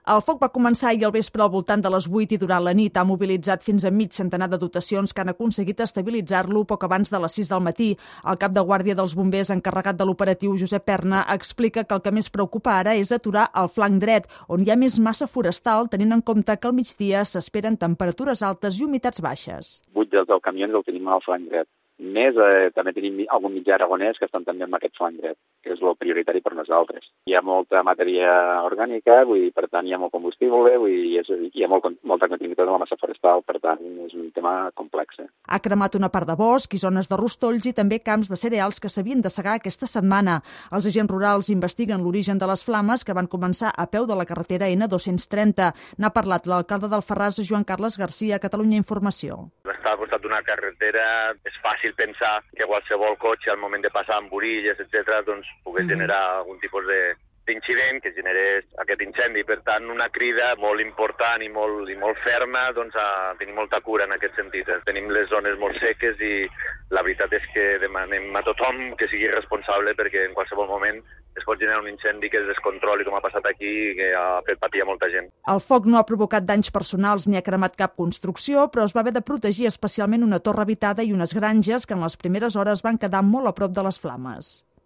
El foc va començar ahir al vespre al voltant de les 8 i durant la nit ha mobilitzat fins a mig centenar de dotacions que han aconseguit estabilitzar-lo poc abans de les 6 del matí. El cap de guàrdia dels bombers encarregat de l'operatiu, Josep Perna, explica que el que més preocupa ara és aturar el flanc dret, on hi ha més massa forestal, tenint en compte que al migdia s'esperen temperatures altes i humitats baixes. 8 dels camions el tenim al flanc dret. Més, també tenim algun mitjà aragonès que estan també amb aquest flanc dret, que és el prioritari per nosaltres. Hi ha molta matèria orgànica, per tant hi ha molt combustible, hi ha molta continuïtat de la massa forestal, per tant és un tema complex. Ha cremat una part de bosc i zones de rostolls i també camps de cereals que s'havien de segar aquesta setmana. Els agents rurals investiguen l'origen de les flames que van començar a peu de la carretera N230. N'ha parlat l'alcalde d'Alfarràs, Joan Carles Garcia, a Catalunya Informació. Estar al costat d'una carretera és fàcil pensar que qualsevol cotxe al moment de passar amb orilles, etc., doncs pogués generar algun tipus d'incident que generés aquest incendi. Per tant, una crida molt important i molt ferma a tenir molta cura en aquest sentit. Tenim les zones molt seques i la veritat és que demanem a tothom que sigui responsable perquè en qualsevol moment es pot generar un incendi que es descontroli, com ha passat aquí, que ha fet patir a molta gent. El foc no ha provocat danys personals ni ha cremat cap construcció, però es va haver de protegir especialment una torre habitada i unes granges que en les primeres hores van quedar molt a prop de les flames.